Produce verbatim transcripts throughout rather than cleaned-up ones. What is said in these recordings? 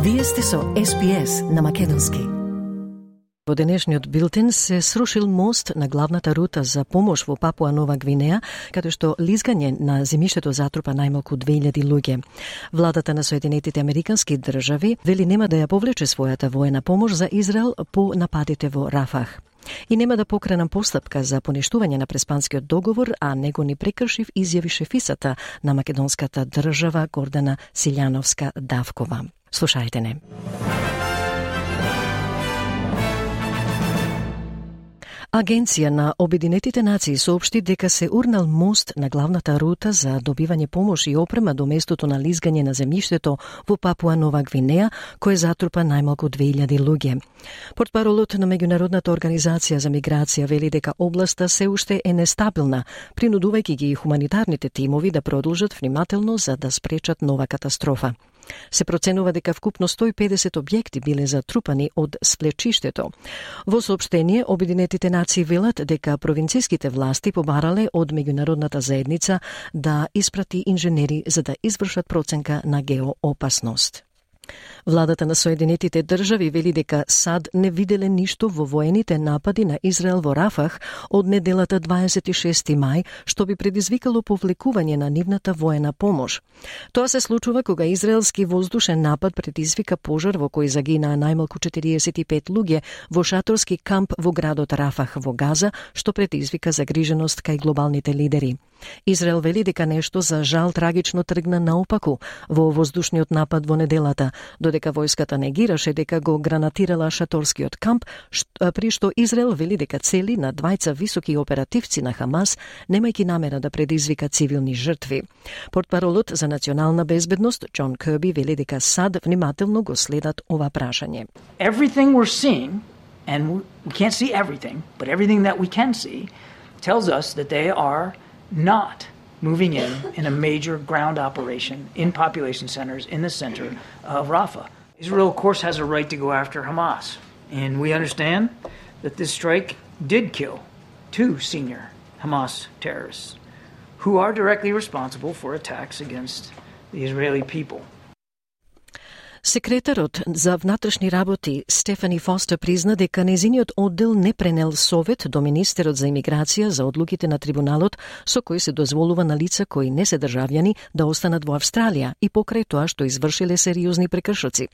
Вие сте со Ес Би Ес на македонски. Во денешниот билтен се срушил мост на главната рута за помош во Папуа Нова Гвинеја, каде што лизгање на земјиштето затрупа најмалку две илјади луѓе. Владата на Соединетите Американски држави вели нема да ја повлече својата воена помош за Израел по нападите во Рафах. И нема да покренам постапка за поништување на Преспанскиот договор, а него ни прекршив, изјави шефисата на македонската држава Гордана Силјановска-Давкова. Слушајте не. Агенција на Обединетите нации соопшти дека се урнал мост на главната рута за добивање помош и опрема до местото на лизгање на земјиштето во Папуа Нова Гвинеја, кој затрупа најмалку две илјади луѓе. Портпаролот на Меѓународната организација за миграција вели дека областа се уште е нестабилна, принудувајќи ги хуманитарните тимови да продолжат внимателно за да спречат нова катастрофа. Се проценува дека вкупно сто и педесет објекти биле затрупани од сплечиштето. Во соопштение, Обединетите нации велат дека провинцијските власти побарале од меѓународната заедница да испрати инженери за да извршат проценка на геоопасност. Владата на Соединетите држави вели дека САД не виделе ништо во воените напади на Израел во Рафах од неделата дваесет и шести мај, што би предизвикало повлекување на нивната воена помош. Тоа се случува кога израелски воздушен напад предизвика пожар во кој загинаа најмалку четириесет и пет луѓе во шаторски камп во градот Рафах во Газа, што предизвика загриженост кај глобалните лидери. Израел вели дека нешто за жал трагично тргна наопаку во воздушниот напад во неделата, додека војската негираше дека го гранатирала шаторскиот камп, при што Израел вели дека цели на двајца високи оперативци на Хамас, немајќи намера да предизвика цивилни жртви. Портпаролот за национална безбедност Џон Кирби вели дека САД внимателно го следат ова прашање. Everything we're seeing, and we can't see everything, but everything that we can see tells us that they are not moving in in a major ground operation in population centers in the center of Rafah. Israel, of course, has a right to go after Hamas, and we understand that this strike did kill two senior Hamas terrorists who are directly responsible for attacks against the Israeli people. Секретарот за внатрешни работи Стефани Фостер призна дека незиниот оддел не пренел совет до министерот за имиграција за одлуките на трибуналот со кои се дозволува на лица кои не се државјани да останат во Австралија и покрај тоа што извршиле сериозни прекршоци.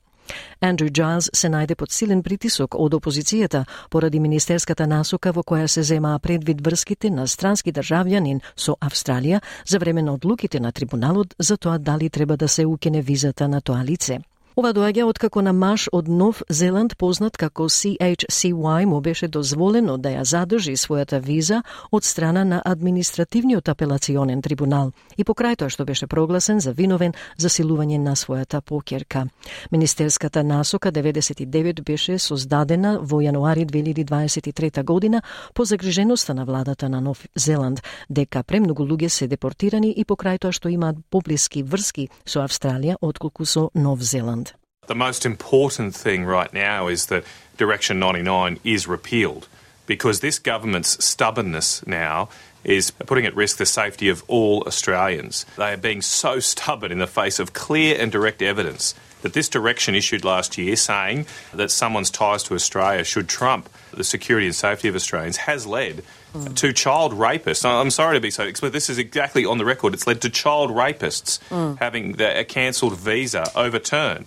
Андрю Џайлс се најде под силен притисок од опозицијата поради министерската насока во која се земаа предвид врските на странски државјанин со Австралија за време на одлуките на трибуналот за тоа дали треба да се укине визата на тоа лице. Ова доаѓа откако на маж од Нов Зеланд познат како Си Ејч Си Уај му беше дозволено да ја задржи својата виза од страна на административниот апелационен трибунал и покрај тоа што беше прогласен за виновен за силување на својата поќерка. Министерската насока деветдесет и девет беше создадена во јануари две илјади дваесет и трета година по загриженоста на владата на Нов Зеланд дека премногу луѓе се депортирани и покрај тоа што имаат поблиски врски со Австралија отколку со Нов Зеланд. The most important thing right now is that Direction ninety-nine is repealed because this government's stubbornness now is putting at risk the safety of all Australians. They are being so stubborn in the face of clear and direct evidence that this direction issued last year saying that someone's ties to Australia should trump the security and safety of Australians has led mm. to child rapists. I'm sorry to be so explicit. This is exactly on the record. It's led to child rapists mm. having their cancelled visa overturned.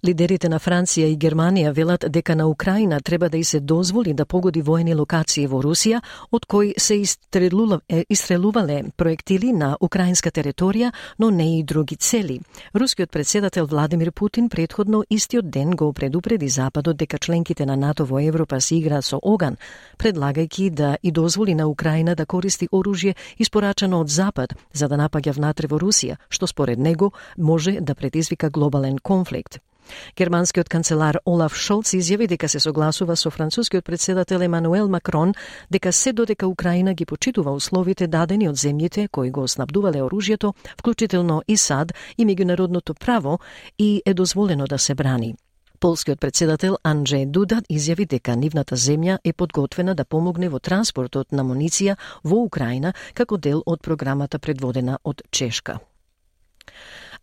Лидерите на Франција и Германија велат дека на Украина треба да и се дозволи да погоди воени локации во Русија, од кои се истрелувале проектили на украинска територија, но не и други цели. Рускиот председател Владимир Путин претходно истиот ден го предупреди Западот дека членките на НАТО во Европа се играат со оган, предлагајќи да и дозволи на Украина да користи оружје испорачано од Запад за да напаѓа внатре во Русија, што според него може да предизвика глобален конфликт. Германскиот канцелар Олаф Шолц изјави дека се согласува со францускиот председател Емануел Макрон дека се додека Украина ги почитува условите дадени од земјите кои го снабдувале оружјето, вклучително и САД и меѓународното право, и е дозволено да се брани. Полскиот председател Анджеј Дуда изјави дека нивната земја е подготвена да помогне во транспортот на амуниција во Украина како дел од програмата предводена од Чешка.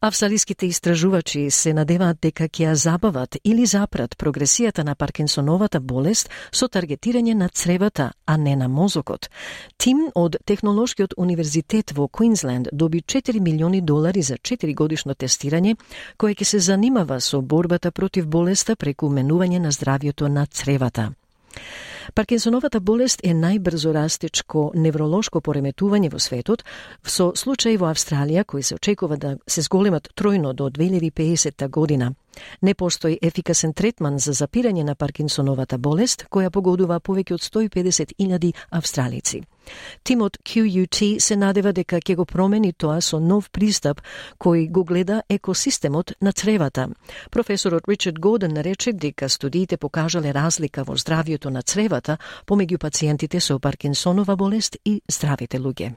Австралиските истражувачи се надеваат дека ќе ја забават или запрат прогресијата на Паркинсоновата болест со таргетирање на цревата, а не на мозокот. Тим од Технолошкиот универзитет во Квинсленд доби четири милиони долари за четири годишно тестирање, кое ќе се занимава со борбата против болеста преку менување на здравјето на цревата. Паркинсоновата болест е најбрзо растечко невролошко пореметување во светот, со случаи во Австралија кои се очекува да се зголемат тројно до две илјади и педесета година. Не постои ефикасен третман за запирање на Паркинсоновата болест, која погодува повеќе од сто и педесет илјади австралици. Тимот Q U T се надева дека ќе го промени тоа со нов пристап кој го гледа екосистемот на цревата. Професорот Ричард Гордон рече дека студиите покажале разлика во здравјето на цревата помеѓу пациентите со Паркинсонова болест и здравите луѓе.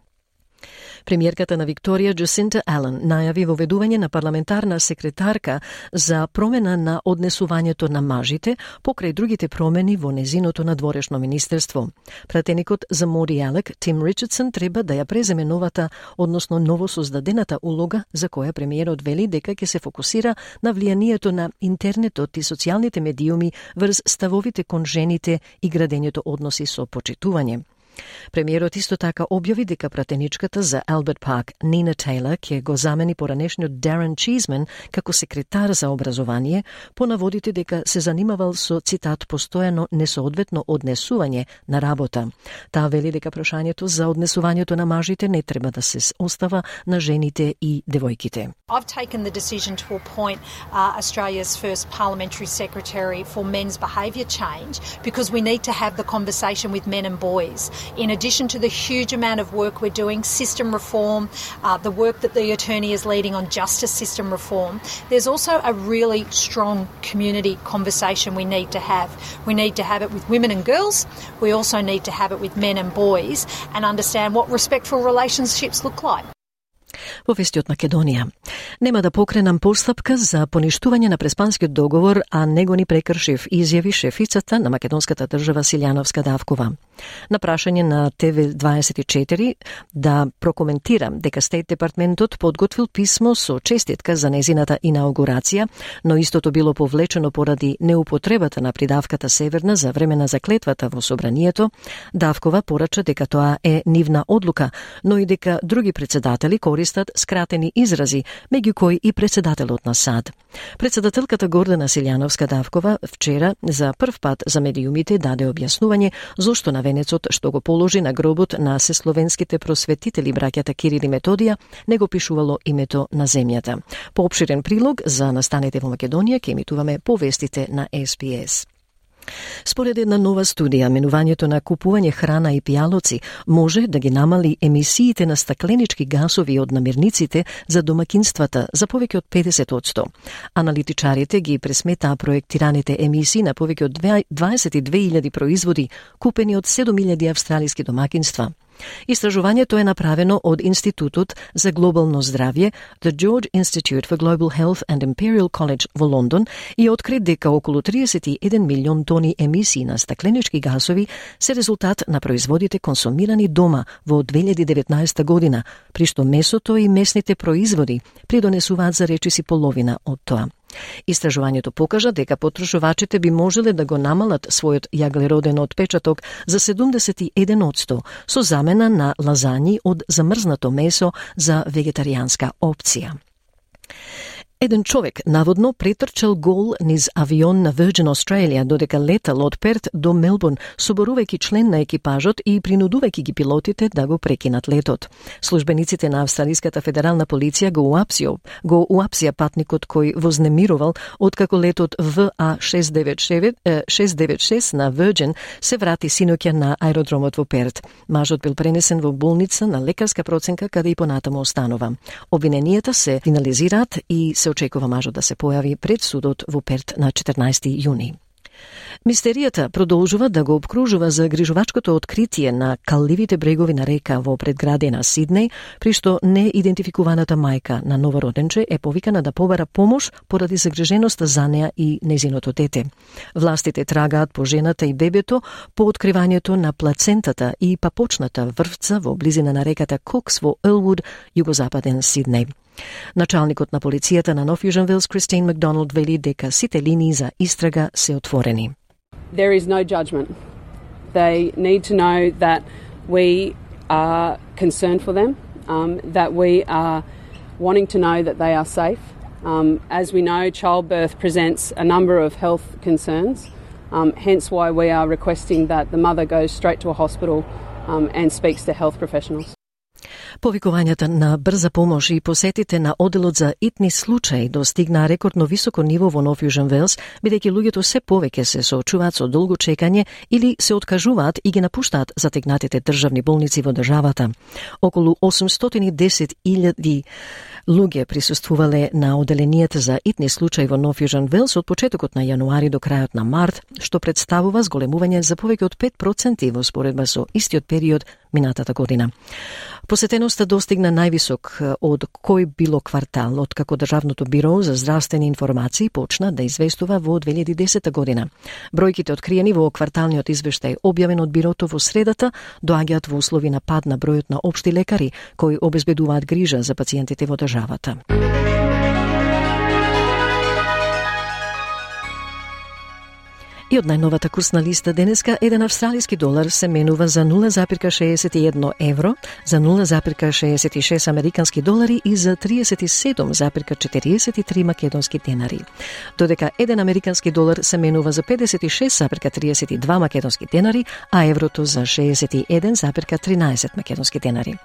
Премиерката на Викторија Джасинта Ален најави воведување на парламентарна секретарка за промена на однесувањето на мажите покрај другите промени во незиното надворешно министерство. Пратеникот за Моди Алек, Тим Ричардсон, треба да ја преземе новата, односно новосоздадената улога за која премиерот вели дека ќе се фокусира на влијанието на интернетот и социјалните медиуми врз ставовите кон жените и градењето односи со почитување. Премиерот исто така објави дека пратеничката за Алберт Парк, Нина Тейлор, ќе го замени поранешниот Дарен Чизмен како секретар за образование, по наводите дека се занимавал со, цитат, постојано несоодветно однесување на работа. Таа вели дека прашањето за однесувањето на мажите не треба да се остава на жените и девојките. I've taken the decision to appoint uh, Australia's first parliamentary secretary for men's behaviour change because we need to have the conversation with men and boys. In addition to the huge amount of work we're doing, system reform, uh, the work that the attorney is leading on justice system reform, there's also a really strong community conversation we need to have. We need to have it with women and girls. We also need to have it with men and boys and understand what respectful relationships look like. Во вести од Македонија. Нема да покренам постапка за поништување на Преспанскиот договор, а него ни прекршив, изјави шефицата на македонската држава Силјановска Давкова. На прашање на Т В дваесет и четири да прокоментира дека Стейт департментот подготвил писмо со честитка за незината инаугурација, но истото било повлечено поради неупотребата на придавката Северна за време на заклетвата во собранието, Давкова порача дека тоа е нивна одлука, но и дека други председатели користат скратени изрази, меѓу кои и председателот на САД. Председателката Гордана Силјановска Давкова вчера за прв пат за медиумите даде објаснување зошто на венецот што го положи на гробот на сесловенските просветители браќата Кирил и Методија не го пишувало името на земјата. По опширен прилог за настаните во Македонија ќе емитуваме повестите на С Б С. Според една нова студија, менувањето на купување храна и пијалоци може да ги намали емисиите на стакленички гасови од намирниците за домакинствата за повеќе од педесет одсто. Аналитичарите ги пресметаа проектираните емисии на повеќе од дваесет и две илјади производи купени од седум илјади австралиски домакинства. Истражувањето е направено од Институтот за глобално здравје, The George Institute for Global Health and Imperial College во Лондон и откри дека околу триесет и еден милион тони емисии на стакленички гасови се резултат на производите консумирани дома во две илјади и деветнаесета година, при што месото и месните производи придонесуваат за речиси половина од тоа. Истражувањето покажа дека потрошувачите би можеле да го намалат својот јаглероден отпечаток за седумдесет и еден одсто со замена на лазањи од замрзнато месо за вегетаријанска опција. Еден човек наводно претрчал гол низ авион на Virgin Australia додека летал од Перт до Мелбурн, соборувајќи член на екипажот и принудувајќи ги пилотите да го прекинат летот. Службениците на Австралиската федерална полиција го уапсија, го уапсија патникот кој вознемирувал откако летот В А шест девет шест на Virgin се врати синоќа на аеродромот во Перт. Мажот бил пренесен во болница на лекарска проценка каде и понатаму останува. Обвиненијата се финализираат и се очекува мажот да се појави пред судот во Перт на четрнаесети јуни. Мистеријата продолжува да го обкружува загрижувачкото откритие на калливите брегови на река во предградие на Сиднеј, при што неидентификуваната мајка на новороденче е повикана да побара помош поради загриженоста за неа и незиното дете. Властите трагаат по жената и бебето по откривањето на плацентата и папочната врвца во близина на реката Кокс во Елвуд, југозападен Сиднеј. Началникот на полицијата на Нов Јужен Велс, Кристин Макдоналд, вели дека сите линии за истрага се отворени. There is no judgment. They need to know that we are concerned for them, um, that we are wanting to know that they are safe. Um, as we know, childbirth presents a number of health concerns, um, hence why we are requesting that the mother goes straight to a hospital um, and speaks to health professionals. Повикувањата на брза помош и посетите на оделот за итни случаи достигнаа рекордно високо ниво во Нов Јужен Велс, бидејќи луѓето се повеќе се соочуваат со долго чекање или се откажуваат и ги напуштаат затегнатите државни болници во државата. Околу осумстотини и десет илјади луѓе присуствувале на оделенијата за итни случаи во Нов Јужен Велс од почетокот на јануари до крајот на март, што представува зголемување за повеќе од пет проценти во споредба со истиот период минатата година. Посетеноста достигна највисок од кој било квартал, од како Државното биро за здравствени информации почна да известува во две илјади и десета година. Бројките откриени во кварталниот извештај објавен од бирото во средата доаѓаат во услови на пад на бројот на општи лекари кои обезбедуваат грижа за пациентите во државата. И од најновата курсна листа денеска, еден австралиски долар се менува за нула запирка шеесет и едно евро, за нула запирка шеесет и шест американски долари и за триесет и седум запирка четириесет и три македонски денари. Додека еден американски долар се менува за педесет и шест запирка триесет и два македонски денари, а еврото за шеесет и еден запирка тринаесет македонски денари.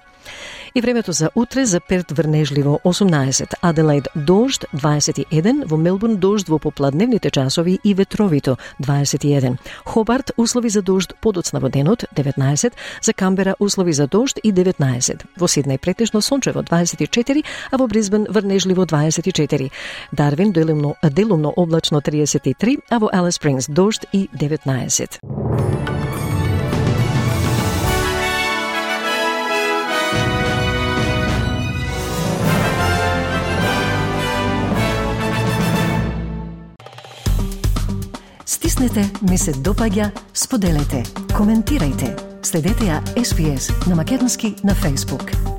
И времето за утре: за Перт врнежливо осумнаесет, Аделаид дожд дваесет и еден, во Мелбурн дожд во попладневните часови и ветровито дваесет и еден, Хобарт услови за дожд подоцна во денот деветнаесет, за Камбера услови за дожд и деветнаесет, во Сиднеј претежно сончево дваесет и четири, а во Брисбен врнежливо дваесет и четири, Дарвин делумно, делумно облачно триесет и три, а во Алис Спрингс дожд и деветнаесет. Стиснете, ми се допаѓа, споделете, коментирајте. Следете ја Ес Би Ес на македонски на Facebook.